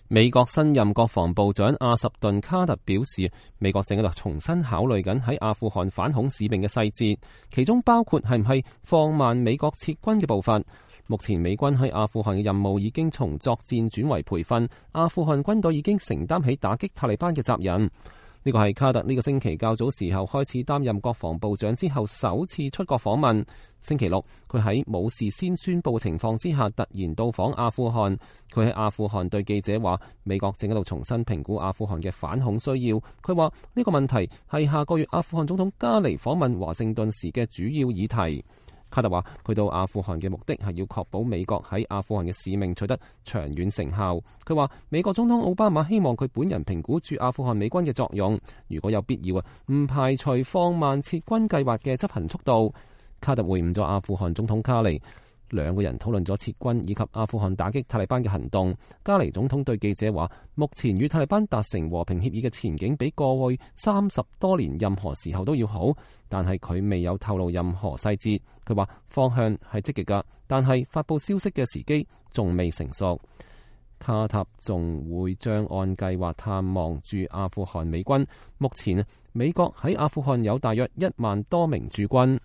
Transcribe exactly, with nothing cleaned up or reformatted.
美國新任國防部長阿什頓卡特表示，美國正喺度重新考慮緊喺阿富汗反恐使命嘅細節，其中包括係唔係放慢美國撤軍嘅步伐。目前美軍喺阿富汗嘅任務已經從作戰轉為培訓，阿富汗軍隊已經承擔起打擊塔利班嘅責任。呢個係卡特呢個星期較早時候開始擔任國防部長之後首次出國訪問。星期六，佢喺冇事先宣佈情況之下突然到訪阿富汗。佢喺阿富汗對記者話，美國正喺度重新評估阿富汗嘅反恐需要。佢話呢個問題係下個月阿富汗總統加尼訪問華盛頓時嘅主要議題。卡特話：佢到阿富汗嘅目的係要確保美國喺阿富汗嘅使命取得長遠成效。佢話美國總統奧巴馬希望佢本人評估駐阿富汗美軍嘅作用，如果有必要啊，唔排除放慢撤軍計劃嘅執行速度。卡特會晤咗阿富汗總統卡尼，兩個人討論咗撤軍以及阿富汗打擊塔利班嘅行動。加尼總統對記者話：目前與塔利班達成和平協議嘅前景比過去三十多年任何時候都要好，但係佢未有透露任何細節。佢話方向係積極㗎，但係發佈消息嘅時機仲未成熟。卡塔仲會將按計劃探望駐阿富汗美軍。目前美國喺阿富汗有大約一萬多名駐軍。